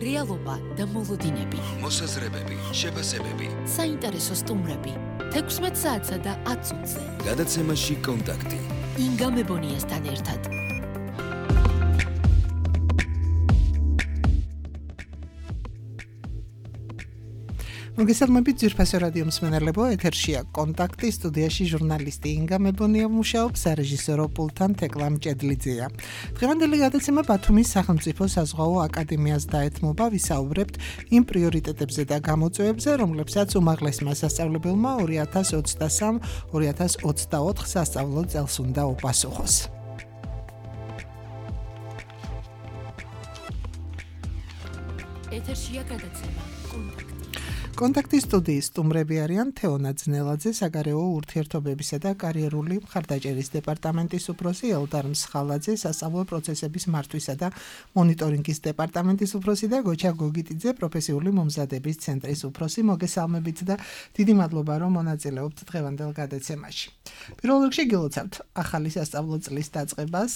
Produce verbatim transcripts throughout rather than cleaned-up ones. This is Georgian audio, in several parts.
რეალობა და მოლოდინები, მოსაზრებები, შეფასებები, საინტერესო სტუმრები. თექვსმეტ საათსა და ათ წუთზე. გადაცემაში კონტაქტი. ინგა მებონიასთან ერთად. მოგესალმებით ძვირფასო რადიო მსმენელებო, ეთერშია კონტაქტი, სტუდიაში ჟურნალისტი ინგა მებონია მუშაობს, სარეჟისორო პულტთან თეკლა მჭედლიძეა. დღევანდელი გადაცემა ბათუმის სახელმწიფო საზღვაო აკადემიას დაეთმობა, ვისაუბრებთ იმ პრიორიტეტებზე და გამოწვევებზე, რომლებსაც უმაღლესმა სასწავლებელმა ორი ათას ოცდასამ ორი ათას ოცდაოთხ სასწავლო წელს უნდა უპასუხოს. ეთერშია გადაცემა კონტაქტი. კონტაქტის სტუდიის სტუმრები არიან თეონა ძნელაძე, საგარეო ურთიერთობებისა და კარიერული მხარდაჭერის დეპარტამენტის უფროსი, ელდარ მსხალაძე, სასწავლო პროცესების მართვისა და მონიტორინგის დეპარტამენტის უფროსი და გოჩა გოგიტიძე, პროფესიული მომზადების ცენტრის უფროსი. მოგესალმებით და დიდი მადლობა, რომ მონაწილეობთ დღევანდელ გადაცემაში. პირველ რიგში გილოცავთ ახალი სასწავლო წლის დაწყებას,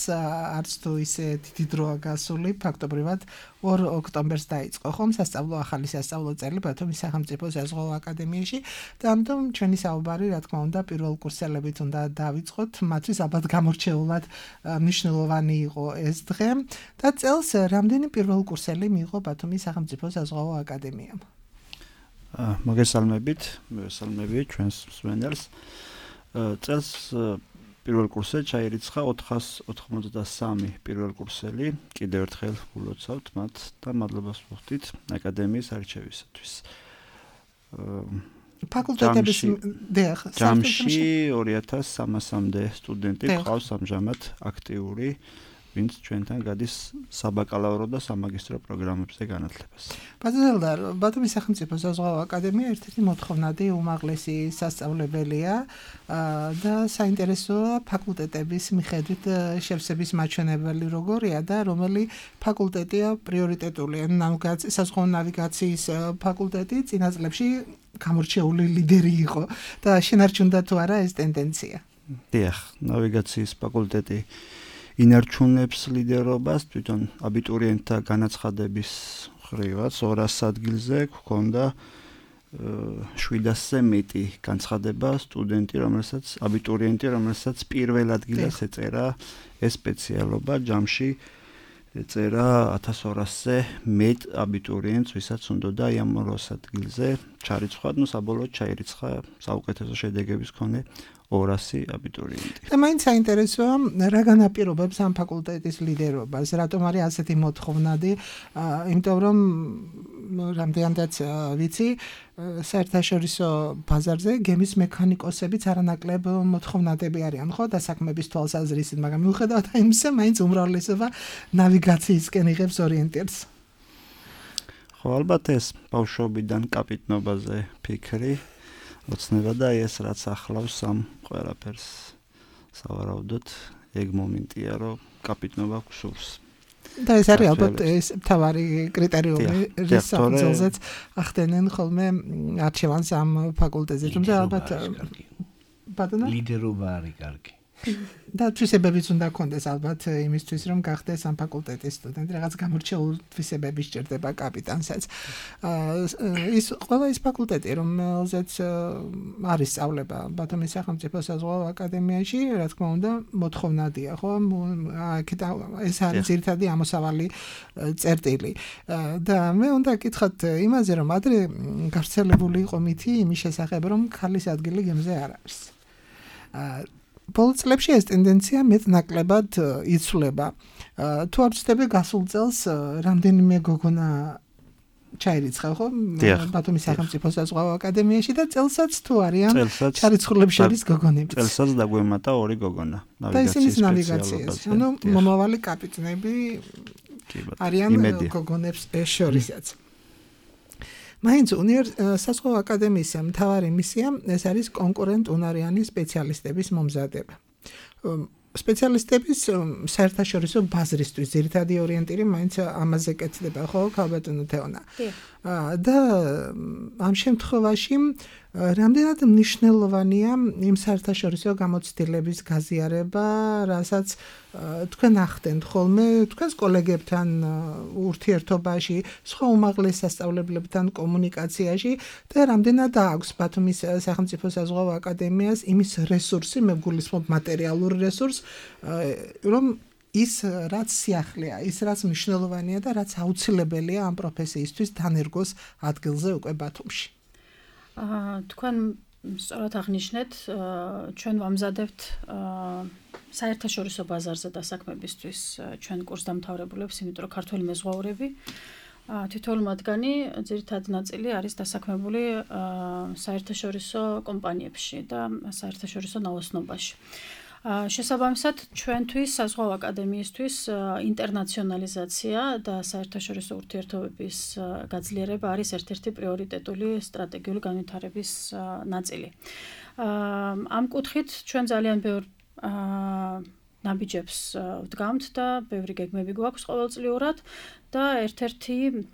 არც თუ ისე დიდი დროა გასული, ფაქტობრივად ორ ოქტომბერს დაიწყო ხომ სასწავლო ახალი სასწავლო წელი ბათუმის სახელმწიფო საზღვაო აკადემიაში და ამიტომ ჩვენი საუბარი, რა თქმა უნდა, პირველ კურსელებით უნდა დავიწყოთ, მათთვის ალბათ გამორჩეულად მნიშვნელოვანი იყო ეს დღე და წელს რამდენი პირველ კურსელი მიიღო ბათუმის სახელმწიფო საზღვაო აკადემიამ? მოგესალმებით, მოგესალმებით ჩვენს მსმენელს. წელს პირველ კურსზე ჩაირიცხა ოთხას ოთხმოცდასამი პირველ კურსელი, კიდევ ერთხელ გულოცავთ მათ და მადლობას ვუხდით აკადემიის არჩევისათვის. ფაკულტეტების დიახ, ჯამში ორი ათას სამასამდე სტუდენტი ყავს ამჟამად აქტიური, ვინც ჩვენთან გადის საბაკალავრო და სამაგისტრო პროგრამებზე განათლებას. ბაზელდარ, ბათუმის სახელმწიფო საზღვაო აკადემია ერთ-ერთი მოთხოვნადი უმაღლესი სასწავლებელია და საინტერესოა ფაკულტეტების მიხედვით შევსების მაჩვენებელი როგორია და რომელი ფაკულტეტია პრიორიტეტული. საზღვაო ნავიგაციის ფაკულტეტი წინა წლებში გამორჩეული ლიდერი იყო და შენარჩუნდა თუ არა ეს ტენდენცია? დიახ, ნავიგაციის ფაკულტეტი ინარჩუნებს ლიდერობას, თვითონ აბიტურიენტთა განაცხადების ხრივაც ორას ადგილზე გვქონდა შვიდასზე მეტი განცხადება სტუდენტი, რომელსაც აბიტურიენტი, რომელსაც პირველ ადგილას ეწერა ეს სპეციალობა, ჯამში ეწერა ათას ორასზე მეტ აბიტურიენტს, ვისაც უნდოდა ამ ორას ადგილზე ჩარიცხვა, ну საბოლოოდ ჩაირიცხა საუკეთესო შედეგების მქონე ორასი აბიტურიენტი. და მაინც საინტერესოა, რა განაპირობებს ამ ფაკულტეტის ლიდერობას, რატომ არის ასეთი მოთხოვნადი, იმიტომ რომ რამდენადაც ვიცი, საერთაშორისო ბაზარზე გემის მექანიკოსებიც არანაკლებ მოთხოვნადები არიან, ხო, დასაქმების თვალსაზრისით, მაგრამ მიუხედავად იმისა, მაინც უმრავლესობა ნავიგაციისკენ იღებს ორიენტირს. ხო, ალბათ ეს ბავშვობიდან კაპიტნობაზე ფიქრი ოცნება და ეს რაც ახლავს ამ ყველაფერს სავარაუდოდ ეგ მომენტია, რომ კაპიტნობა გსურს. და ეს არის ალბათ ეს მთავარი კრიტერიუმი, რის საფუძველზეც ახდენენ ხოლმე არჩევანს ამ ფაკულტეტზე. თუმცა ალბათ ბატონო ლიდერობა არის კარგი. და თვისებებიც უნდა გქონდეს ალბათ იმისთვის, რომ გახდეს ამ ფაკულტეტის სტუდენტი, რაღაც გამორჩეული თვისებები სჭირდება კაპიტანსაც. ის ყველა ის ფაკულტეტი, რომელზეც არის სწავლება ბათუმის სახელმწიფო საზღვაო აკადემიაში, რა თქმა უნდა, მოთხოვნადია, ხო? ეს არის ძირითადი ამოსავალი წერტილი. და მე უნდა გითხრათ იმაზე, რომ ადრე გავრცელებული იყო მითი იმის შესახებ, რომ ქალის ადგილი გემზე არ არის. ბოლო წლებში ეს ტენდენცია მეტნაკლებად იცვლება. თუ არ ვცდები, გასულ წელს რამდენიმე გოგონა ჩაირიცხა, ხო? ბათუმის სახელმწიფო საზღვაო აკადემიაში და წელსაც თუ არიან ჩარიცხულებს შორის გოგონები. წელსაც დაგვემატა ორი გოგონა ნავიგაციის სპეციალობაზე. ანუ მომავალი კაპიტნები არიან გოგონებს შორისაც. მაინც საზღვაო აკადემიის მთავარი მისია ეს არის კონკურენტუნარიანი სპეციალისტების მომზადება. სპეციალისტების საერთაშორისო ბაზრისთვის ძირითადი ორიენტირი მაინც ამაზე კეთდება, ხო, ქალბატონო თეონა. და ამ შემთხვევაში რამდენად მნიშვნელოვანია იმ საერთაშორისო გამოცდილების გაზიარება, რასაც თქვენ ახდენთ ხოლმე თქვენს კოლეგებთან ურთიერთობაში, სხვა უმაღლეს სასწავლებლებთან კომუნიკაციაში და რამდენად აქვს ბათუმის სახელმწიფო საზღვაო აკადემიას იმის რესურსი, მე გულისხმობ მატერიალური რესურს, რომ ის რაც სიახლეა, ის რაც მნიშვნელოვანია და რაც აუცილებელია ამ პროფესიისთვის დანერგოს ადგილზე უკვე ბათუმში. თქვენ სწორად აღნიშნეთ, ჩვენ ვამზადებთ საერთაშორისო ბაზარზე დასაქმებისთვის ჩვენ კურსდამთავრებულებს, იმიტომ რომ ქართველი მეზღვაურები თითოეული მათგანი ძირითადი ნაწილი არის დასაქმებული საერთაშორისო კომპანიებში და საერთაშორისო ნაოსნობაში. შესაბამისად, ჩვენთვის საზღვაო აკადემიისთვის ინტერნაციონალიზაცია და საერთაშორისო ურთიერთობების გაძლიერება არის ერთ-ერთი პრიორიტეტული სტრატეგიული განვითარების ნაწილი. ამ კუთხით ჩვენ ძალიან ბევრ ნაბიჯებს ვდგამთ და ბევრი გეგმები გვაქვს ყოველწლიურად და ერთ-ერთი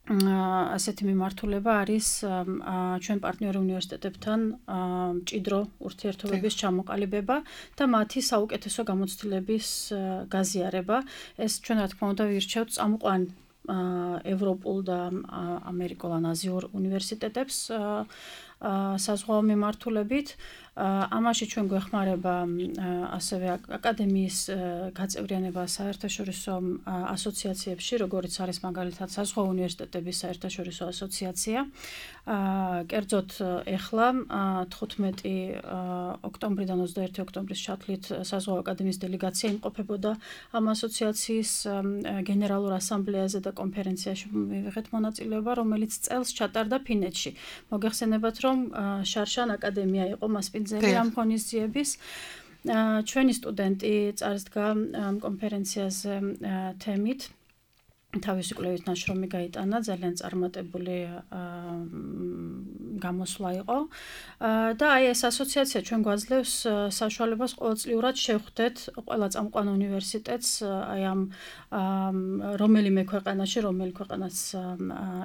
ასეთი მიმართულება არის ჩვენ პარტნიორ უნივერსიტეტებთან მჭიდრო ურთიერთობების ჩამოყალიბება და მათი საუკეთესო გამოცდილების გაზიარება. ეს ჩვენ რა თქმა უნდა ვირჩევთ წამყვან ევროპულ და ამერიკულ ან აზიურ უნივერსიტეტებს საზღვაო მიმართულებით. ამაში ჩვენ გვეხმარება ასევე აკადემიის გაწევრიანება საერთაშორისო ასოციაციებში, როგორც არის მაგალითად საზღვაო უნივერსიტეტების საერთაშორისო ასოციაცია. კერძოდ ეხლა თხუთმეტი ოქტომბრიდან ოცდაერთი ოქტომბრის ჩათვლით საზღვაო აკადემიის დელეგაცია იმყოფებოდა ამ ასოციაციის გენერალურ ასამბლეაზე და კონფერენციაში მივიღეთ მონაწილეობა, რომელიც წელს ჩატარდა ფინეთში. მოგეხსენებათ, რომ შარშან აკადემია იყო მასპინძელი ამ ღონისძიების. ჩვენი სტუდენტი წარსდგა ამ კონფერენციაზე თემით. თავისი კვლევით ნაშრომი გაიტანა, ძალიან წარმატებული გამოსვლა იყო. და აი ეს ასოციაცია ჩვენ გვაძლევს საშუალებას ყოველწლიურად შევხვდეთ ყველა წამყვან უნივერსიტეტს, აი ამ რომელიმე ქვეყანაში, რომელი ქვეყანაც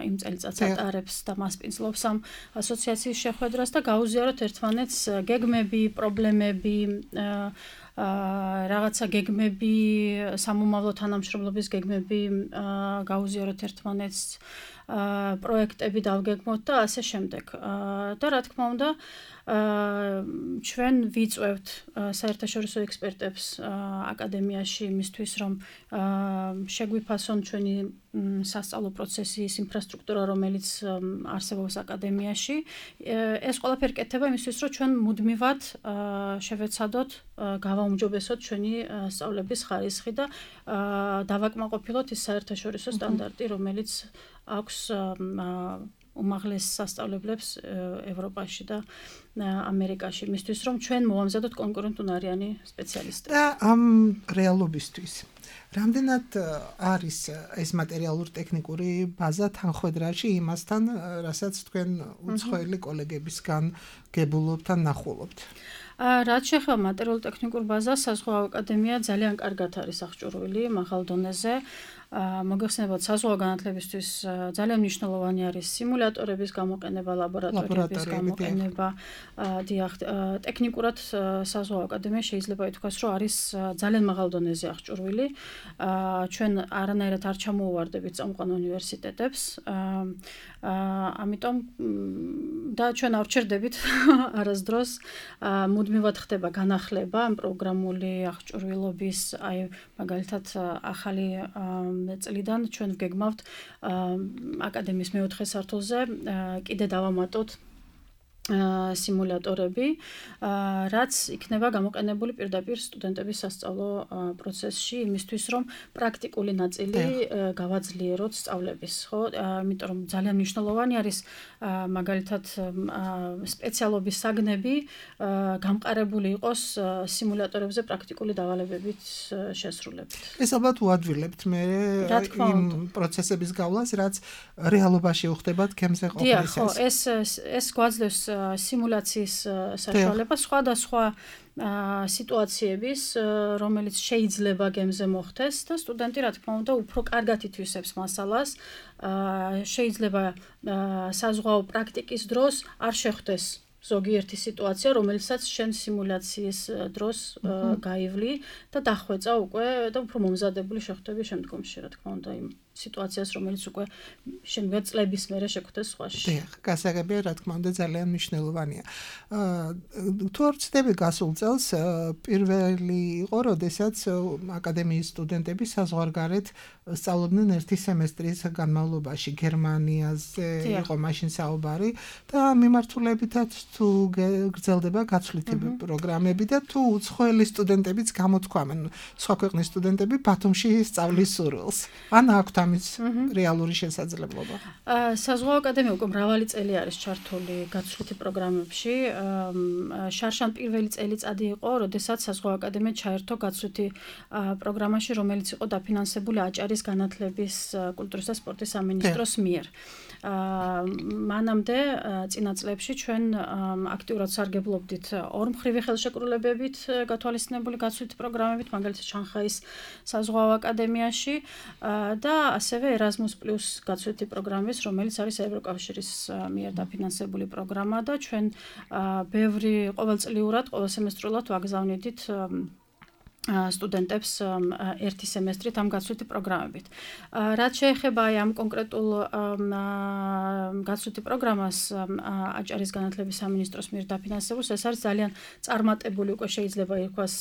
იმ წელიწადს ატარებს და მასპინძლობს ამ ასოციაციის შეხვედრას და გაუზიაროთ ერთმანეთს გეგმები, პრობლემები, რაღაცა გეგმები, სამომავლო თანამშრომლობის გეგმები გაუზიაროთ ერთმანეთს, პროექტები დავგეგმოთ და ასე შემდეგ. და რა თქმა უნდა, ჩვენ ვიწვევთ საერთაშორისო ექსპერტებს აკადემიაში იმისთვის, რომ შეგვიფასონ ჩვენი სასწავლო პროცესის ინფრასტრუქტურა, რომელიც არსებობს აკადემიაში. ეს ყველაფერი კეთდება იმისთვის, რომ ჩვენ მუდმივად შევეცადოთ, გავაუმჯობესოთ ჩვენი სწავლების ხარისხი და დავაკმაყოფილოთ ის საერთაშორისო სტანდარტი, რომელიც აქვს უმაღლეს სასწავლებლებს ევროპაში და ამერიკაში, იმისთვის, რომ ჩვენ მოვამზადოთ კონკურენტუნარიანი სპეციალისტები. და ამ რეალობისთვის რამდენად არის ეს მატერიალურ-ტექნიკური ბაზა თანხვედრაში იმასთან, რასაც თქვენ უცხოელი კოლეგებისგან გებულობთ ან ნახულობთ? რაც შეეხება მატერიალურ-ტექნიკურ ბაზას, საზღვაო აკადემია ძალიან კარგად არის აღჭურვილი მაღალ დონეზე. მოგეხსენებათ, საზღვაო განათლებისთვის ძალიან მნიშვნელოვანი არის სიმულატორების გამოყენება, ლაბორატორიების გამოყენება. დიახ, ტექნიკურად საზღვაო აკადემია შეიძლება ითქვას, რომ არის ძალიან მაღალ დონეზე აღჭურვილი. ჩვენ არანაირად არ ჩამოუვარდებით წამყვან უნივერსიტეტებს. ამიტომ და ჩვენ არ ვჩერდებით არასდროს. მუდმივად ხდება განახლება ამ პროგრამული აღჭურვილობის, აი მაგალითად ახალი წლიდან ჩვენ ვგეგმავთ აკადემიის მეოთხე სართულზე კიდე დავამატოთ სიმულატორები, რაც იქნება გამოყენებული პირდაპირ სტუდენტების სასწავლო პროცესში, იმისთვის, რომ პრაქტიკული ნაწილი გავაძლიეროთ სწავლების, ხო? იმიტომ რომ ძალიან მნიშვნელოვანი არის მაგალითად სპეციალობის საგნები გამყარებული იყოს სიმულატორებზე პრაქტიკული დავალებებით შესრულებით. ეს ალბათ უადვილებთ მე იმ პროცესების გავლას, რაც რეალობაში უხდება თემზე ყოფნისას. დიახ, ხო, ეს ეს გვაძლევს სიმულაციის საშუალებას, სხვადასხვა სიტუაციების, რომელიც შეიძლება გემზე მოხდეს და სტუდენტი რა თქმა უნდა უფრო კარგად ითვისებს მასალას. შეიძლება საზღვაო პრაქტიკის დროს არ შეხვდეს ზოგიერთი სიტუაცია, რომელიცაც შენ სიმულაციის დროს გაივლი და დახვეწა უკვე და უფრო მომზადებული შეხვდები შემდგომში, რა თქმა უნდა, იმ სიტუაციას, რომელიც უკვე შემდგომ წლების მერე შეგვხვდეს სხვაში. დიახ, გასაგებია, რა თქმა უნდა, ძალიან მნიშვნელოვანია. თუ არ ვცდები გასულ წელს პირველი იყო, როდესაც აკადემიის სტუდენტები საზღვარგარეთ სწავლობდნენ ერთი სემესტრის განმავლობაში გერმანიაზე იყო მაშინ საუბარი და მიმართულებითაც თუ გრძელდება გაცვლითი პროგრამები და თუ უცხოელი სტუდენტებიც გამოთქვამენ, სხვა ქვეყნის სტუდენტები ბათუმში სწავლის სურვილს. ან აქვთ ამის რეალური შესაძლებლობა. საზღვაო აკადემია უკვე მრავალი წელი არის ჩართული გაცვლითი პროგრამებში. შარშან პირველი წელიწადი იყო, როდესაც საზღვაო აკადემია ჩაერთო გაცვლითი პროგრამაში, რომელიც იყო დაფინანსებული აჭარის განათლების, კულტურის და სპორტის სამინისტროს მიერ. მანამდე წინა წლებში ჩვენ აქტიურად სარგებლობდით ორმხრივი ხელშეკრულებებით გათვალისწინებული გაცვლითი პროგრამებით, მაგალითად შანხაის საზღვაო აკადემიაში და ასევე Erasmus Plus გაცვლითი პროგრამის, რომელიც არის ევროკავშირის მიერ დაფინანსებული პროგრამა და ჩვენ ბევრი ყოველწლიურად, ყოველსემესტრულად ვაგზავნიდით სტუდენტებს ერთი სემესტრით ამ გაცვლითი პროგრამებით. რაც შეეხება ამ კონკრეტულ გაცვლითი პროგრამას აჭარის განათლების სამინისტროს მიერ დაფინანსებულს, ეს არის ძალიან წარმატებული უკვე შეიძლება ითქვას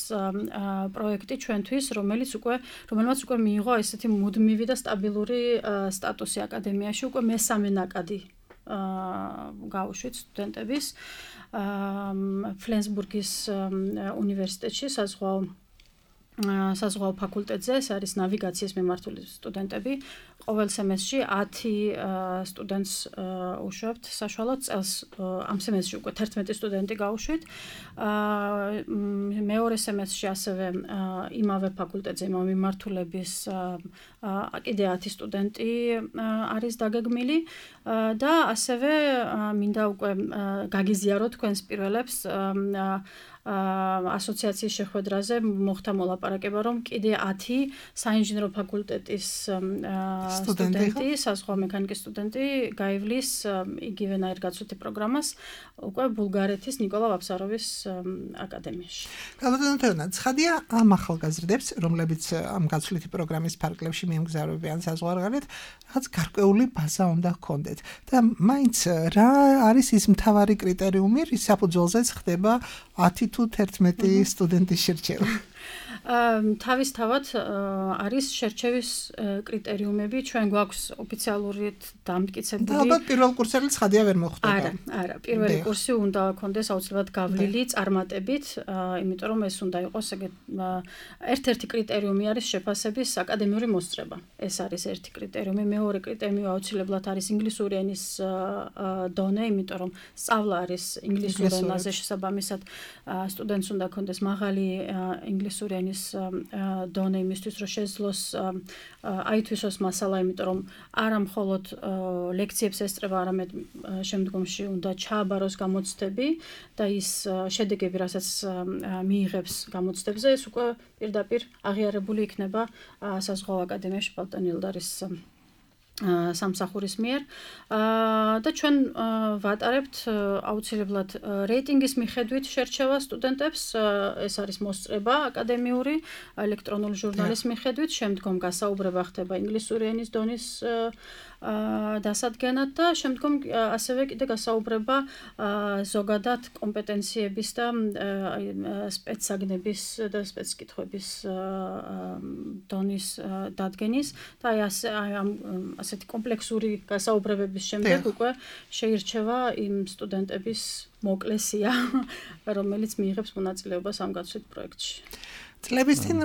პროექტი ჩვენთვის, რომელიც უკვე რომელმაც უკვე მიიღო ესეთი მუდმივი და სტაბილური სტატუსი აკადემიაში, უკვე მესამე ნაკადი გაუშვით სტუდენტების ფლენსბურგის უნივერსიტეტში საზღვაო საზღვაო ფაკულტეტზე, ეს არის ნავიგაციის მიმართული სტუდენტები. ყოველ სემესტრში ათი სტუდენტს უშვებთ საშუალოდ წელს ამ სემესტრში უკვე თერთმეტი სტუდენტი გავუშვით. მეორე სემესტრში ასევე იმავე ფაკულტეტზე, იმავე მიმართულების კიდე ათი სტუდენტი არის დაგეგმილი და ასევე მინდა უკვე გაგიზიაროთ თქვენს პირველებს ასოციაციის შეხვედრაზე მოხდა მოლაპარაკება, რომ კიდე ათი საინჟინრო ფაკულტეტის სტუდენტი, საზღვაო მექანიკის სტუდენტი გაივლის იგივენაირ გაცვლითი პროგრამას უკვე ბულგარეთის ნიკოლა ვაფსაროვის აკადემიაში. გალბატონო, ცხადია ამ ახალგაზრდებს, რომლებიც ამ გაცვლითი პროგრამის ფარგლებში მიემგზავრებიან საზღვარგარეთ, რაღაც გარკვეული ბაზა უნდა ჰქონდეთ. და მაინც რა არის ის მთავარი კრიტერიუმი, რის საფუძველზეც ხდება ათი თუ თერთმეტი სტუდენტის შერჩევა? თავისთავად არის შერჩევის კრიტერიუმები, ჩვენ გვაქვს ოფიციალურად დამტკიცებული. და ალბათ პირველ კურსელი ცხადია ვერ მოხდება. არა, არა, პირველი კურსი უნდა ქონდეს აუცილებლად გავლილი წარმატებით, იმიტომ რომ ეს უნდა იყოს ერთ-ერთი კრიტერიუმი არის შეფასების აკადემიური მოსწრება. ეს არის ერთი კრიტერიუმი, მეორე კრიტერიუმი აუცილებლად არის ინგლისური ენის დონე, იმიტომ რომ სწავლა არის ინგლისურ ენაზე, შესაბამისად სტუდენტს უნდა ქონდეს მაღალი ინგლისური ენის დონე იმისთვის, რომ შეძლოს აითვისოს მასალა, იმიტომ რომ არა მხოლოდ ლექციებს ესწრება, არამედ შემდგომში უნდა ჩააბაროს გამოცდები და ის შედეგები, რასაც მიიღებს გამოცდებზე, ეს უკვე პირდაპირ აღიარებული იქნება საზღვაო აკადემიაში ბალტან ილდარის სამსახურის მიერ და ჩვენ ვატარებთ აუცილებლად რეიტინგის მიხედვით შერჩევა სტუდენტებს, ეს არის მოსწრება აკადემიური ელექტრონული ჟურნალის მიხედვით, შემდგომ გასაუბრება ხდება ინგლისური ენის დონის დასადგენად და შემდგომ ასევე კიდე გასაუბრება ზოგადად კომპეტენციების და სპეცსაგნების და სპეცკითხვების დონის დადგენის და აი ამ ასეთი კომპლექსური გასაუბრებების შემდეგ უკვე შეირჩევა იმ სტუდენტების მოკლე სია, რომელიც მიიღებს მონაწილეობას ამ გაცვლით პროექტში. წლების წინ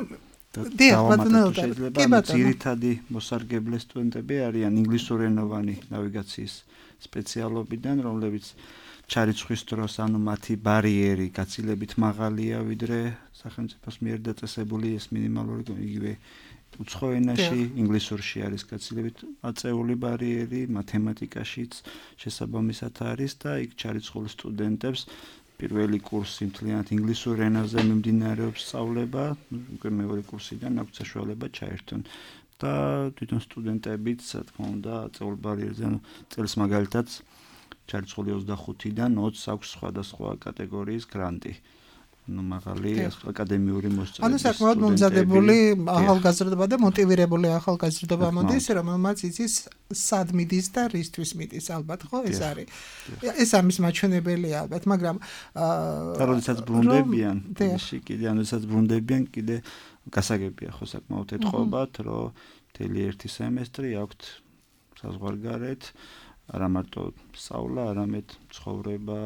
შეიძლება ძირითადი მოსარგებლე სტუდენტები არიან ინგლისურენოვანი ნავიგაციის სპეციალობიდან, რომლებიც ჩარიცხვის დროს, ანუ მათი ბარიერი გაცილებით მაღალია, ვიდრე სახელმწიფოს მიერ დაწესებული ეს მინიმალური იგივე უცხო ენაში, ინგლისურში არის გაცილებით აწეული ბარიერი, მათემატიკაშიც შესაბამისად არის და იქ ჩარიცხულ სტუდენტებს პირველი კურსი მთლიანად ინგლისურ ენაზე მიმდინარეობს სწავლება, უკვე მეორე კურსიდან აქვს საშუალება ჩაერთონ. და თვითონ სტუდენტებიც, რა თქმა უნდა, წევრბარიერზე წელს მაგალითად ჩარიცხული ოცდახუთიდან ოცს აქვს სხვადასხვა კატეგორიის გრანტი. ну მაღალი აკადემიური მოსწავლეები. ანუ საკმაოდ მომზადებული ახალგაზრდობა და მოტივირებული ახალგაზრდობა მოდის, რომელმაც იცის სად მიდის და რისთვის მიდის, ალბათ ხო ეს არის. ეს ამის მაჩვენებელია ალბათ, მაგრამ და როდესაც ბრუნდებიან, ისე კიდე ანუ როდესაც brunდებიან, კიდე გასაგებია ხო საკმაოდ ეთყობათ, რომ მთელი ერთი სემესტრი აქვთ საზღვარგარეთ, არა მარტო სწავლა, არამედ ცხოვრება,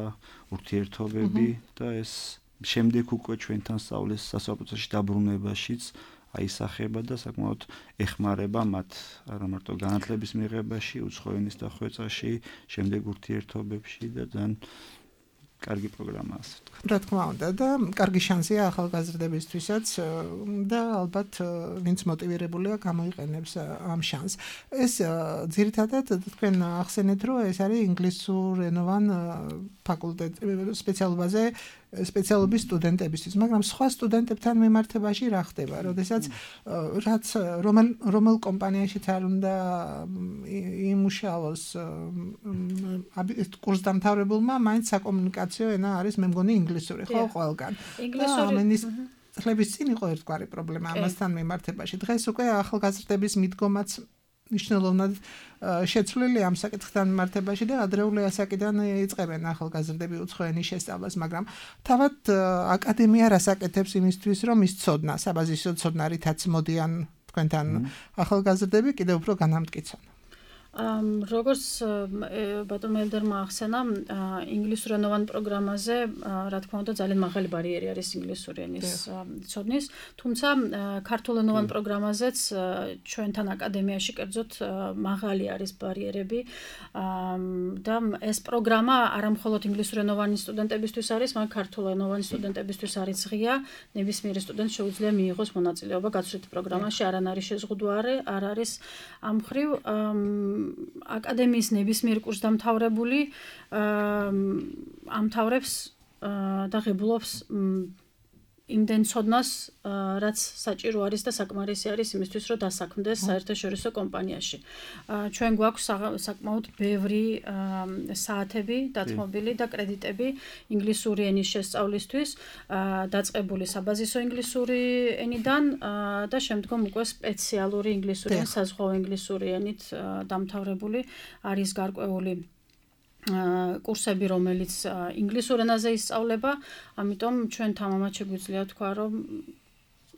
ურთიერთობები და ეს შემდეგ უკვე ჩვენთან სწავლის სასწავლებლოში დაბრუნებაშიც აისახება და საკმაოდ ეხმარება მათ არა მარტო განათლების მიღებაში, უცხო ენის დახვეწაში, შემდეგ ურთიერთობებში და ძალიან კარგი პროგრამაა ასე ვთქვათ. რა თქმა უნდა და კარგი შანსია ახალგაზრდებისთვისაც და ალბათ ვინც მოტივირებულია გამოიყენებს ამ შანსს. ეს ძირითადად თქვენ ახსენეთ, რომ ეს არის ინგლისურენოვან ფაკულტეტ სპეციალობაზე სპეციალობის სტუდენტებისთვის, მაგრამ სხვა სტუდენტებთან მიმართებაში რა ხდება, როდესაც რაც რომელ რომელ კომპანიაშიც არ უნდა იმუშაოს კურსდამთავრებულმა, მაინც საკომუნიკაციო ენა არის მე მგონი ინგლისური, ხო, ყველგან. ინგლისური ხლების წინ იყო ერთგვარი პრობლემა ამასთან მიმართებაში. დღეს უკვე ახალგაზრდების მიდგომაც ნიშნულოვნად შეცვლილი ამ საკითხთან მიმართებაში და ადრეული ასაკიდან იწყებენ ახალგაზრდები უცხო ენის შესწავლას, მაგრამ თავად აკადემია რას აკეთებს იმისთვის, რომ ის ცოდნა, საბაზისო ცოდნა რითაც მოდიან თქვენთან ახალგაზრდები კიდევ უფრო განამტკიცონ. როგორც ბატონო ელდერმა ახსენა, ინგლისურენოვან პროგრამაზე, რა თქმა უნდა, ძალიან მაღალი ბარიერი არის ინგლისური ენის ცოდნის, თუმცა ქართულენოვან პროგრამაზეც ჩვენთან აკადემიაში კერძოდ მაღალი არის ბარიერები და ეს პროგრამა არა მხოლოდ ინგლისურენოვანი სტუდენტებისთვის არის, მაგრამ ქართულენოვანი სტუდენტებისთვის არის ღია, ნებისმიერი სტუდენტს შეუძლია მიიღოს მონაწილეობა გაცვლითი პროგრამაში, არანაირი შეზღუდვა არ არის ამ მხრივ აკადემიის ნებისმიერ კურსდამთავრებული ამთავრებს და ღებულობს იმდენ ცოდნას, რაც საჭირო არის და საკმარისი არის იმისთვის, რომ დასაქმდეს საერთაშორისო კომპანიაში. ჩვენ გვაქვს საკმაოდ ბევრი საათები დათმობილი და კრედიტები ინგლისური ენის შესწავლისთვის, დაწყებული საბაზისო ინგლისური ენიდან და შემდგომ უკვე სპეციალური ინგლისური ენის, საზღვაო ინგლისური ენით დამთავრებული არის გარკვეული კურსები, რომელიც ინგლისურ ენაზე ისწავლება, ამიტომ ჩვენ თამამად შეგვიძლია თქვა, რომ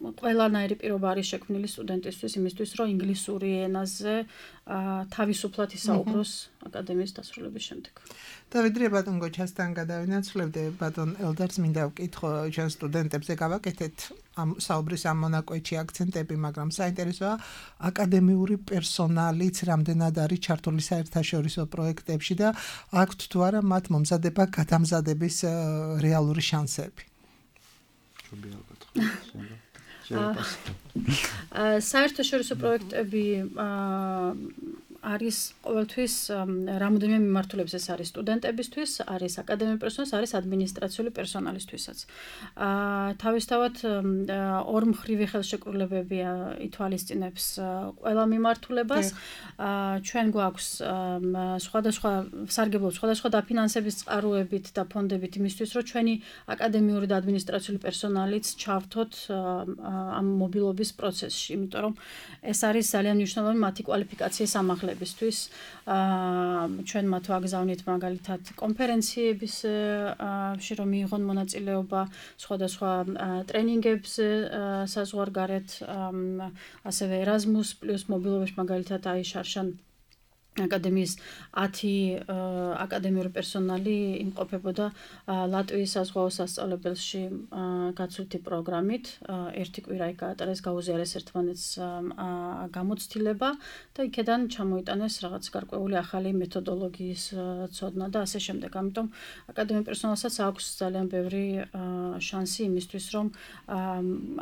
ყველანაირი პირობა არის შექმნილი სტუდენტისთვის იმისთვის, რომ ინგლისური ენაზე თავისუფლად ისაუბროს აკადემიის დასრულების შემდეგ. დავიდრე ბატონ გოჩასთან გადავინაცვლებდე, ბატონ ელდერს მინდა ვკითხო, ჩვენ სტუდენტებზე გავაკეთეთ ამ საუბრის ამ მონაკვეთში აქცენტები, მაგრამ საინტერესოა აკადემიური პერსონალიც რამდენად არის ჩართული საერთაშორისო პროექტებში და აქვთ თუ არა მათ მომზადება გადამზადების რეალური შანსები. საერთაშორისო პროექტები არის ყოველთვის რამოდენიმე მიმართულების, ეს არის სტუდენტებისთვის, არის აკადემიური პერსონალის, არის ადმინისტრაციული პერსონალისთვისაც. თავისთავად ორმხრივი ხელშეკრულებები ითვალისწინებს ყველა მიმართულებას. ჩვენ გვაქვს სხვადასხვა სარგებლობს, სხვადასხვა დაფინანსების წყაროებით და ფონდებით იმისთვის, რომ ჩვენი აკადემიური და ადმინისტრაციული პერსონალიც ჩავთოთ ამ მობილობის პროცესში, იმიტომ რომ ეს არის ძალიან მნიშვნელოვანი მათი კვალიფიკაციის ამაღლებისთვის. ჩვენ მათ ვაგზავნით მაგალითად კონფერენციებში, რომ მიიღონ მონაწილეობა სხვადასხვა ტრენინგებზე საზღვარგარეთ, ასევე Erasmus პლუს მობილობაში მაგალითად აიშარშან აკადემიის ათი აკადემიური პერსონალი იმყოფებოდა ლატვიის საზღვაო სასწავლებელში გაცვლითი პროგრამით. ერთი კვირა იქ გაატარეს, გაუზიარეს ერთმანეთს გამოცდილება და იქედან ჩამოიტანეს რაღაც გარკვეული ახალი მეთოდოლოგიის ცოდნა და ასე შემდეგ. ამიტომ აკადემიურ პერსონალსაც აქვს ძალიან ბევრი შანსი იმისთვის, რომ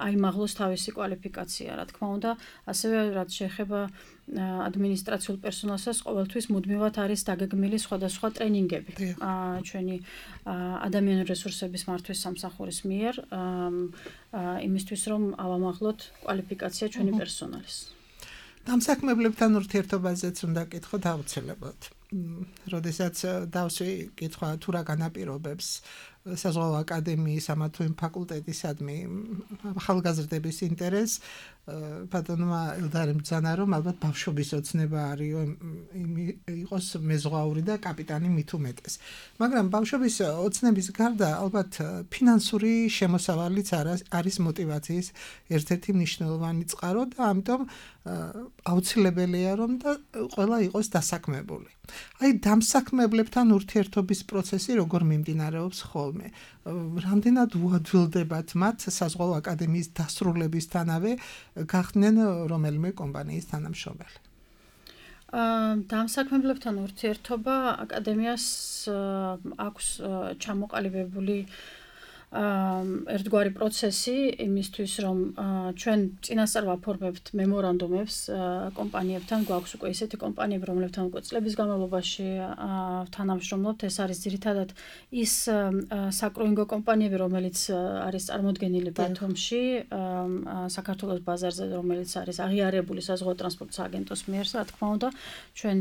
აიმაღლოს თავისი კვალიფიკაცია, რა თქმა უნდა, ასევე რაც შეეხება ადმინისტრაციულ პერსონალსაც ყოველთვის მუდმივად არის დაგეგმილი სხვადასხვა ტრენინგები ჩვენი ადამიანური რესურსების მართვის სამსახურის მიერ იმისთვის რომ ავამაღლოთ კვალიფიკაცია ჩვენი პერსონალის. დამსაქმებლებთან ურთიერთობაზეც უნდა კითხოთ აუცილებლად. როდესაც დავსვი კითხვა თუ რა განაპირობებს საზღვაო აკადემიის ამა თუ იმ ფაკულტეტისადმი ახალგაზრდების ინტერესს ბატონმა ელდარემ ბრძანა რომ ალბათ ბავშვობის ოცნება არის იყოს მეზღვაური და კაპიტანი მით უმეტეს. მაგრამ ბავშვობის ოცნების გარდა ალბათ ფინანსური შემოსავალიც არის მოტივაციის ერთ-ერთი მნიშვნელოვანი წყარო და ამიტომ აუცილებელია რომ და ყველა იყოს დასაქმებული. აი დამსაქმებლებთან ურთიერთობის პროცესი როგორ მიმდინარეობს ხოლმე? რამდენად უადვილდებათ მათ საზღვაო აკადემიის დასრულებისთანავე გახდნენ რომელიმე კომპანიის თანამშრომელი? დამსაქმებლებთან ურთიერთობა აკადემიას აქვს ჩამოყალიბებული ერთგვარი პროცესი იმისთვის რომ ჩვენ წინასწარ ვაფორმებთ მემორანდუმებს კომპანიებთან გვაქვს უკვე ისეთი კომპანიები რომლებთან უკვე წლების განმავლობაში თანამშრომლობთ ეს არის ძირითადად ის საკრუინგო კომპანიები რომელიც არის წარმოდგენილი ბათუმში საქართველოს ბაზარზე რომელიც არის აღიარებული საზღვაო ტრანსპორტის აგენტოს მიერ რა თქმა უნდა ჩვენ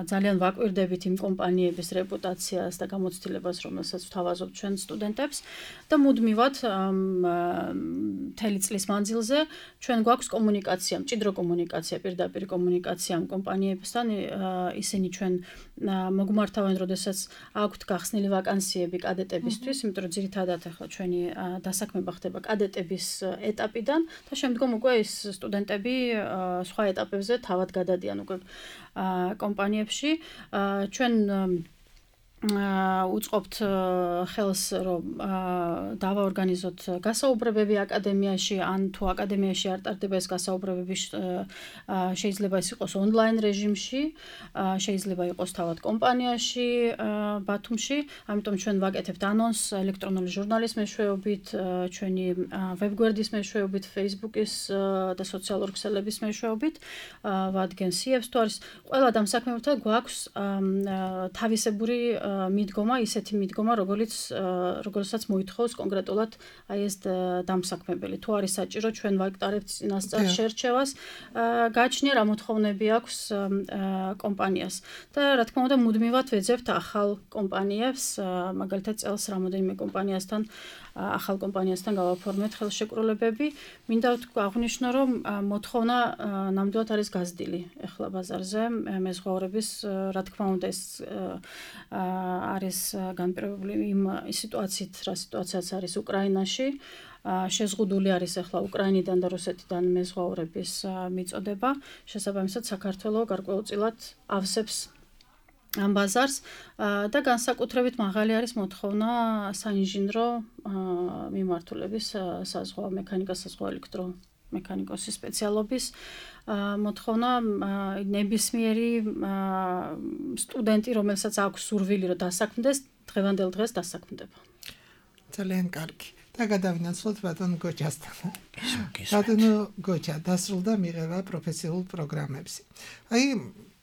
ძალიან ვაკვირდებით იმ კომპანიების რეპუტაციას და გამოცდილებას რომელსაც ვთავაზობთ ჩვენ სტუდენტებს და მუდმივად მთელი წლის მანძილზე ჩვენ გვაქვს კომუნიკაცია, მჭიდრო კომუნიკაცია, პირდაპირ კომუნიკაცია ამ კომპანიებთან, ისინი ჩვენ მოგმართავენ, როდესაც აქვთ გახსნილი ვაკანსიები კადეტებისთვის, იმიტომ რომ ძირითადად ახლა ჩვენი დასაქმება ხდება კადეტების ეტაპიდან და შემდგომ უკვე ის სტუდენტები სხვა ეტაპებზე თავად გადადიან უკვე კომპანიებში. ჩვენ უწყობთ ხელს რომ დავაორგანიზოთ გასაუბრებები აკადემიაში ან თუ აკადემიაში არ ტარდება ეს გასაუბრებები შეიძლება ის იყოს ონლაინ რეჟიმში შეიძლება იყოს თავად კომპანიაში ბათუმში ამიტომ ჩვენ ვაკეთებთ ანონს ელექტრონული ჟურნალის მეშვეობით ჩვენი ვებგვერდის მეშვეობით Facebook-ის და სოციალურ ქსელების მეშვეობით ვადგენ სიებს თუ არის ყველა დამსაქმებელთან გვაქვს თავისებური მიდგომა ისეთი მიდგომა როგორც როგორცაც მოითხოვს კონკრეტულად აი ეს დამსაქმებელი თუ არის საჭირო ჩვენ ვაკტარებთ წინასწარ შერჩევას გააჩნია რა მოთხოვნები აქვს კომპანიას და რა თქმა უნდა მუდმივად ვეძებთ ახალ კომპანიებს მაგალითად წელს რამოდენიმე კომპანიასთან ახალ კომპანიასთან გავაფორმეთ ხელშეკრულებები მინდა აღვნიშნო რომ მოთხოვნა ნამდვილად არის გაზრდილი ახლა ბაზარზე მეზღვაურების რა თქმა უნდა ეს არის განპირობებული იმ სიტუაციით რა სიტუაციაც არის უკრაინაში შეზღუდული არის ახლა უკრაინიდან და რუსეთიდან მეზღვაურების მიწოდება შესაბამისად საქართველოს გარკვეულწილად ავსებს ამ ბაზარს და განსაკუთრებით მაღალი არის მოთხოვნა საინჟინრო მიმართულების საზღვაო მექანიკა საზღვაო ელექტრო მექანიკოსის სპეციალობის მოთხოვნა ნებისმიერი სტუდენტი რომელსაც აქვს სურვილი რომ დასაქმდეს დღევანდელ დღეს დასაქმდება ძალიან კარგი და გადავინაცვლოთ ბატონ გოჩასთან ბატონ გოჩა დასრულდა მიღება პროფესიულ პროგრამებში აი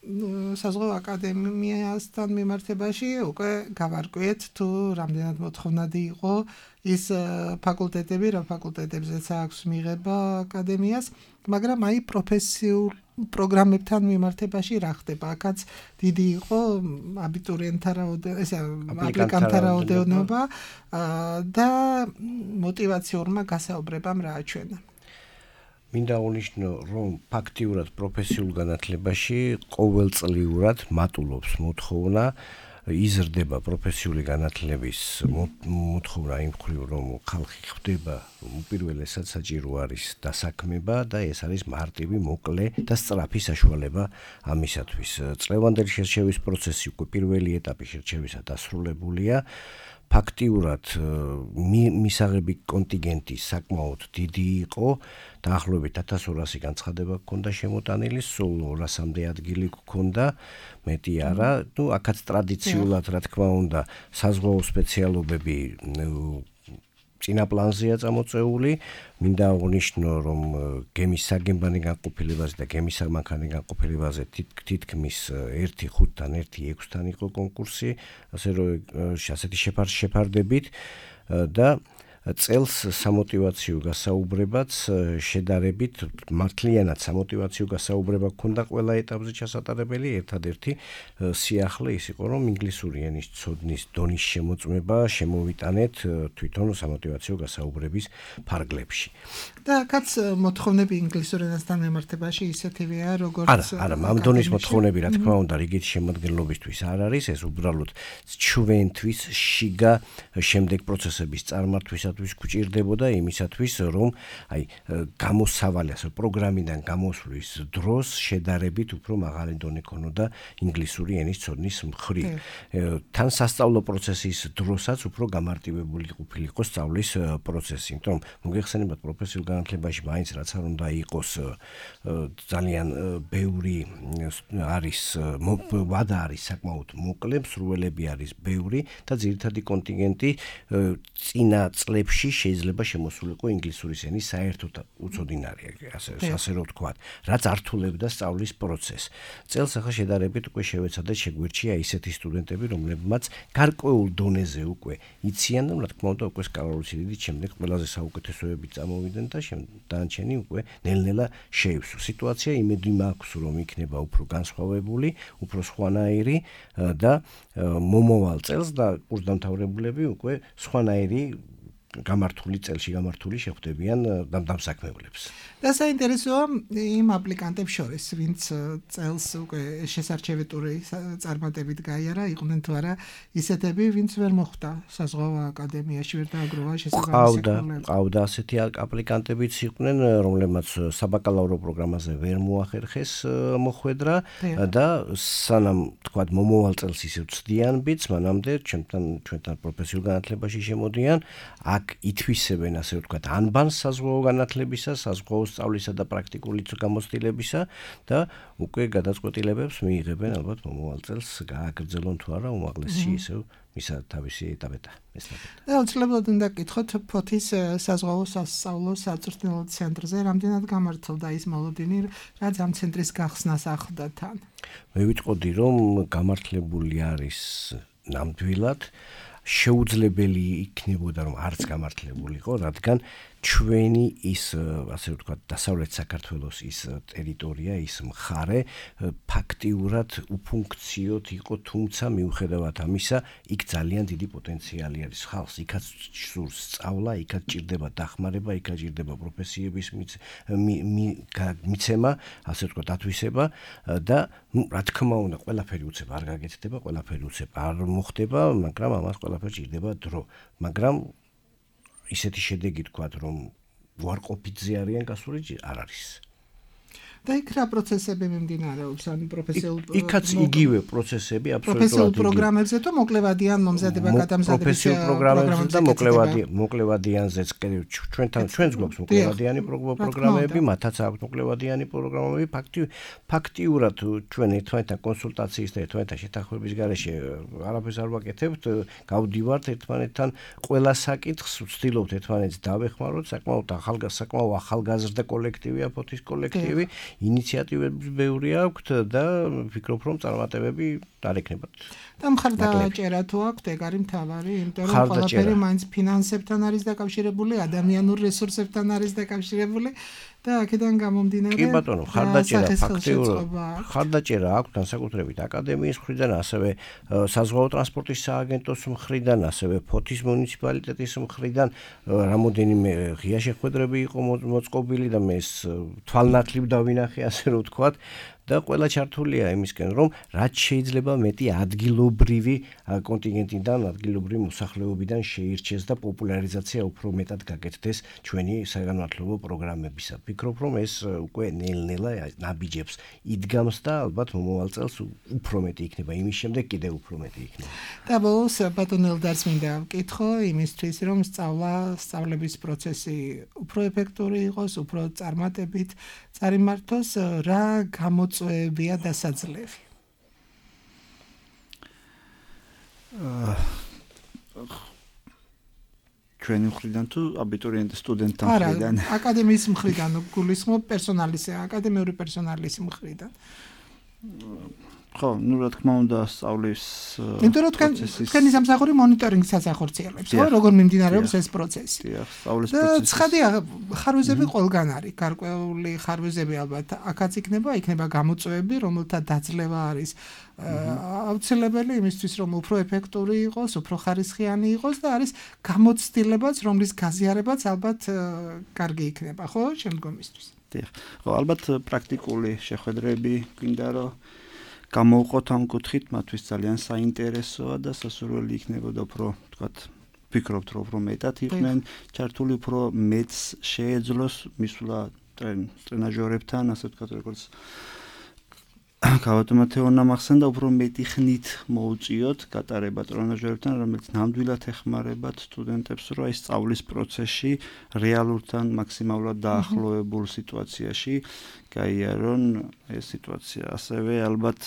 საზღვაო აკადემიასთან მიმართებაში უკვე გავარკვიეთ თუ რამდენად მოთხოვნადი იყო ის ფაკულტეტები რა ფაკულტეტებზეც აქვს მიღება აკადემიას მაგრამ აი პროფესიულ პროგრამებთან მიმართებაში რა ხდება აქაც დიდი იყო აბიტურიენტთა რაოდენობა ესე აპლიკანტთა რაოდენობა და მოტივაციურმა გასაუბრებამ რა აჩვენა მინდა აღნიშნო რომ ფაქტიურად პროფესიულ განათლებაში ყოველწლიურად მატულობს მოთხოვნა იზრდება პროფესიული განათლების მოთხოვნა იმ მხრივ რომ ხალხი ხვდება უპირველესად საჭირო არის დასაქმება და ეს არის მარტივი მოკლე და სწრაფი საშუალება ამისათვის წლევანდელი შერჩევის პროცესი უკვე პირველი ეტაპი შერჩევისა დასრულებულია ფაქტიურად მისაღები კონტინგენტი საკმაოდ დიდი იყო დაახლოებით ათას ორასი განცხადება ჰქონდა შემოტანილი სულ ორასამდე ადგილი ჰქონდა მეტი არა ნუ აქაც ტრადიციულად რა თქმა უნდა საზღვაო სპეციალობები წინა პლანზეა წამოწეული. მინდა აღნიშნო, რომ გემის საგემბანი განყოფილებაზე და გემის სამანქანე განყოფილებაზე თითქმის ერთი ხუთთან ერთი ექვსთან იყო კონკურსი, ასე რომ ასეთი შეფარდებით და წელს სამოტივაციო გასაუბრებაც შედარებით მართლიანად სამოტივაციო გასაუბრება ქონდა ყველა ეტაპზე ჩასატარებელი. ერთადერთი სიახლე ის იყო, რომ ინგლისური ენის ცოდნის დონის შემოწმება შემოვიტანეთ თვითონ სამოტივაციო გასაუბრების ფარგლებში. და კაც მოთხოვნები ინგლისურ ენასთან მიმართებაში ისეთივეა, როგორც არა, არა, ამ დონის მოთხოვნები, რა თქმა უნდა, რიგით შემოადგენლობისთვის არ არის, ეს უბრალოდ ჩვენთვის შიგა შემდეგ პროცესების წარმართვის გვჭირდებოდა იმისათვის, რომ აი გამოსავალი ასე პროგრამიდან გამოსვლის დროს შედარებით უფრო მაღალი დონე ქონოდა ინგლისური ენის ცოდნის მხრივ. თან სასწავლო პროცესის დროსაც უფრო გამარტივებული ყოფილიყო სწავლის პროცესი, იმიტომ რომ მოგეხსენებათ პროფესიულ განათლებაში მაინც რაც არ უნდა იყოს ძალიან ბევრი არის ვადა არის საკმაოდ მოკლე, მსურველები არის ბევრი და ძირითადი კონტინგენტი წინა წლებში შეიძლება შემოსულიყო ინგლისურის ენის საერთოდ უცოდინარია, ასე ასე რომ ვთქვათ, რაც ართულებდა სწავლის პროცესს. წელს ახლა შედარებით უკვე შევეცადეთ შეგვირჩია ისეთი სტუდენტები, რომლებმაც გარკვეულ დონეზე უკვე იციან და რა თქმა უნდა უკვე სკალარული სიდიდით შემდეგ ყველაზე საუკეთესოები წამოვიდნენ და დანარჩენი უკვე ნელ-ნელა შეივსო. სიტუაცია იმედი მაქვს, რომ იქნება უფრო განსხვავებული, უფრო სხვანაირი და მომავალ წელს და კურსდამთავრებულები უკვე სხვანაირი გამართული წელში გამართული შეხვდებიან დამსაქმებლებს. და საინტერესოა იმ აპლიკანტებს შორის, ვინც წელს უკვე შესარჩევი ტური წარმატებით გაიარა, იყვნენ თუ არა ისეთები, ვინც ვერ მოხვდა საზღვაო აკადემიაში, ვერ დააგროვა შესაბამისი კურსები. ყავდა ასეთი აპლიკანტებიც იყვნენ, რომლებმაც საბაკალავრო პროგრამაზე ვერ მოახერხეს მოხვედრა და სანამ თქვათ მომავალ წელს ისევ ცდიან ბიც, მანამდე ჩვენთან ჩვენთან პროფესიულ განათლებაში შემოდიან. აქ ითვისებენ ასე ვთქვათ ანბანს საზღვაო განათლებისა, საზღვაო სწავლისა და პრაქტიკული გამოცდილებისა და უკვე გადაწყვეტილებებს მიიღებენ ალბათ მომავალ წელს გააგრძელონ თუ არა უმაღლესი ისევ მისა თავისი ეტაპეთა ესტაფეტა. და უცლებოდ უნდა გკითხოთ ფოთის საზღვაო სასწავლო საწვრთნელო ცენტრზე რამდენად გამართლდა ის მოლოდინი, რაც ამ ცენტრის გახსნას ახლდა თან. მე ვიტყოდი რომ გამართლებული არის ნამდვილად შეუძლებელი იქნებოდა რომ არც გამართლებულიყო, რადგან ჩვენი ის ასე ვთქვათ დასავლეთ საქართველოს ის ტერიტორია, ის მხარე ფაქტიურად უფუნქციოდ იყო, თუმცა მიუხედავად ამისა, იქ ძალიან დიდი პოტენციალი არის ხალხს, იქაც სურს სწავლა, იქაც ჭირდება დახმარება, იქაც ჭირდება პროფესიების მიცემა, ასე ვთქვათ ათვისება და რა თქმა უნდა, ყველაფერი უცებ არ გაგეთდება, ყველაფერი უცებ არ მოხდება, მაგრამ ამას ყველაფერს ჭირდება დრო, მაგრამ ისეთი შედეგი თქვათ, რომ უარყოფითზე არიან გასული არ არის. და იქ რა პროცესები მიმდინარეობს, ან პროფესიულ იქაც იგივე პროცესები აბსოლუტურად პროფესიულ პროგრამებზე თუ მოკლევადიან მომზადება გადამზადება პროფესიულ პროგრამებზე და მოკლევადიან მოკლევადიანზეც ჩვენთან ჩვენს გვაქვს მოკლევადიანი პროგრამები, მათაც აქვს მოკლევადიანი პროგრამები, ფაქტიურად ჩვენ ერთმანეთთან კონსულტაციის და ერთმანეთთან შეთანხმების გარეშე არაფერს არ ვაკეთებთ, გავდივართ ერთმანეთთან ყველა საკითხს, ვცდილობთ ერთმანეთს დავეხმაროთ, საკმაოდ ახალგაზრდა ახალგაზრდა კოლექტივია ფოთის კოლექტივი. ინიციატივები ბევრი აქვთ და ვფიქრობ რომ წარმატებები არ ეკნებათ. და მხარდაჭერა თუ აქვთ, ეგ არის მთავარი, იმიტომ რომ ყველაფერი მაინც ფინანსებთან არის დაკავშირებული, ადამიანურ რესურსებთან არის დაკავშირებული და აქედან გამომდინარე კი ბატონო, მხარდაჭერა ფაქტიურად მხარდაჭერა აქვს განსაკუთრებით აკადემიის მხრიდან, ასევე საზღვაო ტრანსპორტის სააგენტოს მხრიდან, ასევე ფოთის მუნიციპალიტეტის მხრიდან რამოდენიმე ღია შეხვედრები იყო მოწყობილი და მე ეს თვალნათლივ დავინახე, ასე რომ ვთქვათ. და ყველა ჩართულია იმისკენ, რომ რაც შეიძლება მეტი ადგილობრივი კონტინგენტიდან, ადგილობრივი მოსახლეობიდან შეირჩეს და პოპულარიზაცია უფრო მეტად გაკეთდეს ჩვენი საგანმანათლებლო პროგრამებისა. ვფიქრობ, რომ ეს უკვე ნელ-ნელა ნაბიჯებს იდგამს და ალბათ მომავალ წელს უფრო მეტი იქნება, იმის შემდეგ კიდევ უფრო მეტი იქნება. და ბოლოს ბატონ ელდარს მინდა ვკითხო იმისთვის, რომ სწავლა, სწავლების პროცესი უფრო ეფექტური იყოს, უფრო წარმატებით წარიმართოს, რა გამოწვევებია დასაძლევი? ჩვენი მხრიდან თუ აბიტურიენტის სტუდენტთა მხრიდან? არა, აკადემიის მხრიდან გულისხმობ პერსონალის, აკადემიური პერსონალის მხრიდან. ხო, ну, რა თქმა უნდა, სწავლის იმიტომ რომ თქვენ თქვენი სამსახური მონიტორინგს ასახორციელებს, ხო, როგორ მიმდინარეობს ეს პროცესი. დიახ, სწავლის და პროცესი. ცხადია, ხარვეზები ყველგან არის, გარკვეული ხარვეზები ალბათ აქაც იქნება, იქნება გამოწვევები, რომელთა დაძლევა არის აუცილებელი იმისთვის, რომ უფრო ეფექტური იყოს, უფრო ხარისხიანი იყოს და არის გამოცდილებაც, რომლის გაზიარებაც ალბათ კარგი იქნება, ხო, შემდგომისთვის. დიახ. ხო, ალბათ პრაქტიკული შეხვედრები გვინდა რომ გამოვყოთ ამ კუთხით, მათთვის ძალიან საინტერესოა და სასურველი იქნებოდა უფრო, თქვათ, ვფიქრობთ, რომ უფრო მეტად იყვნენ ჩართული, უფრო მეტს შეეძლოს მისვლა ტრენაჟორებთან, ასე ვთქვათ, როგორც გავატო მათეონა მახსენდა, უფრო მეტი ხნით მოუწიოთ გატარება ტრენაჟორებთან, რომელიც ნამდვილად ეხმარებათ სტუდენტებს, რომ აი სწავლის პროცესში რეალურთან მაქსიმალურად დაახლოებულ სიტუაციაში გაიარონ ეს სიტუაცია. ასევე ალბათ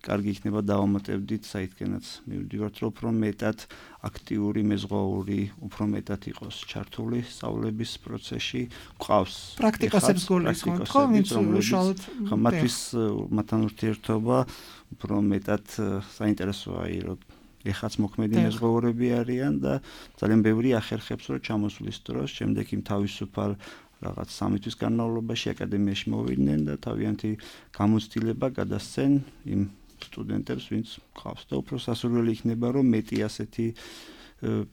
კარგი იქნება დავამატებდით საითქენაც მივდივართ, რომ უფრო მეტად აქტიური, მეზღვაური, უფრო მეტად იყოს ჩართული სწავლების პროცესში. ყავს პრაქტიკოსებს გულისხმობთ, ხო, ვინც უშუალოდ ხო, მათთვის მათთან ურთიერთობა უფრო მეტად საინტერესოა, რომ ეხაც მოქმედი მეზღვაურები არიან და ძალიან ბევრი ახერხებს, რომ ჩამოსვლის დროს, შემდეგ იმ თავისუფალ რაღაც სამი თვის განმავლობაში აკადემიაში მოვიდნენ და თავიანთი გამოცდილება გადასცენ იმ სტუდენტებს, ვინც ყავს და უფრო სასურველი იქნება, რომ მეტი ასეთი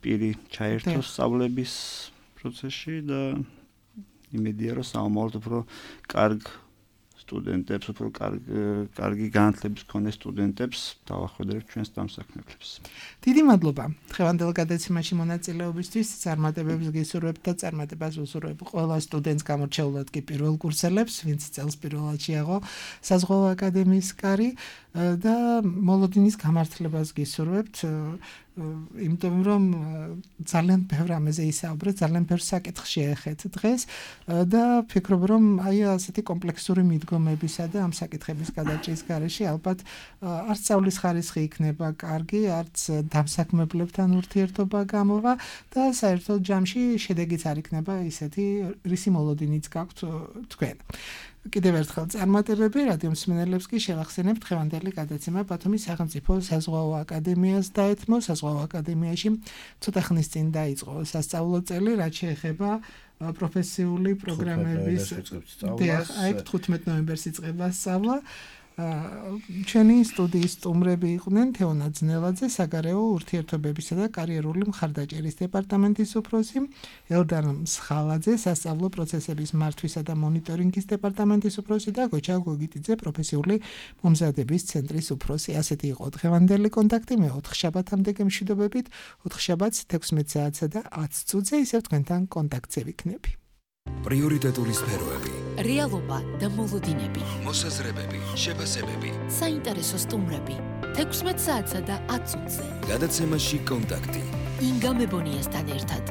პირი ჩაერთოს სწავლების პროცესში და იმედია, რომ საომაროდ უფრო კარგ სტუდენტებს, უფრო კარგი განათლების მქონე სტუდენტებს დავახვედრებთ ჩვენს დამსაქმებლებს. დიდი მადლობა დღევანდელ გადაცემაში მონაწილეობისთვის, წარმატებებს გისურვებთ და წარმატებას ვუსურვებ ყველა სტუდენტს, გამორჩეულად კი პირველ კურსელებს, ვინც წელს პირველად შეაღო საზღვაო აკადემიის კარი და მოლოდინის გამართლებას გისურვებთ, იმიტომ რომ ძალიან ბევრ ამაზე ისაუბრეთ, ძალიან ბევრ საკითხს შეეხეთ დღეს და ვფიქრობ, რომ აი ასეთი კომპლექსური მიდგომებისა და ამ საკითხების გადაჭრის გარეშე ალბათ არც სწავლის ხარისხი იქნება კარგი, არც დამსაქმებლებთან ურთიერთობა გამოვა და საერთოდ ჯამში შედეგიც არ იქნება ისეთი, რისი მოლოდინიც გაქვთ თქვენ. კიდევ ერთხელ წარმატებები რადიო მსმენელებს კი შევახსენებთ დღევანდელი გადაცემა ბათუმის სახელმწიფო საზღვაო აკადემიას დაეთმო. საზღვაო აკადემიაში ცოტა ხნის წინ დაიწყო სასწავლო წელი, რაც შეეხება პროფესიული პროგრამების აი თხუთმეტ ნოემბერს იწყება სწავლა. ჩვენი სტუდიის სტუმრები იყვნენ თეონა ძნელაძე, საგარეო ურთიერთობებისა და კარიერული მხარდაჭერის დეპარტამენტის უფროსი, ელდარ მსხალაძე, სასწავლო პროცესების მართვისა და მონიტორინგის დეპარტამენტის უფროსი და გოჩა გოგიტიძე, პროფესიული მომზადების ცენტრის უფროსი. ასეთი იყო დღევანდელი კონტაქტი. მე ოთხ შაბათამდე გემშვიდობებით, ოთხ შაბათს თექვსმეტ საათსა და ათს წუთზე ისევ თქვენთან კონტაქტზე ვიქნები. პრიორიტეტული სფეროები, რეალობა და მოლოდინები, მოსაზრებები, შეფასებები, საინტერესო სტუმრები, თექვსმეტ საათსა და ათ წუთზე. გადაცემაში კონტაქტი. ინგა მებონიასთან ერთად.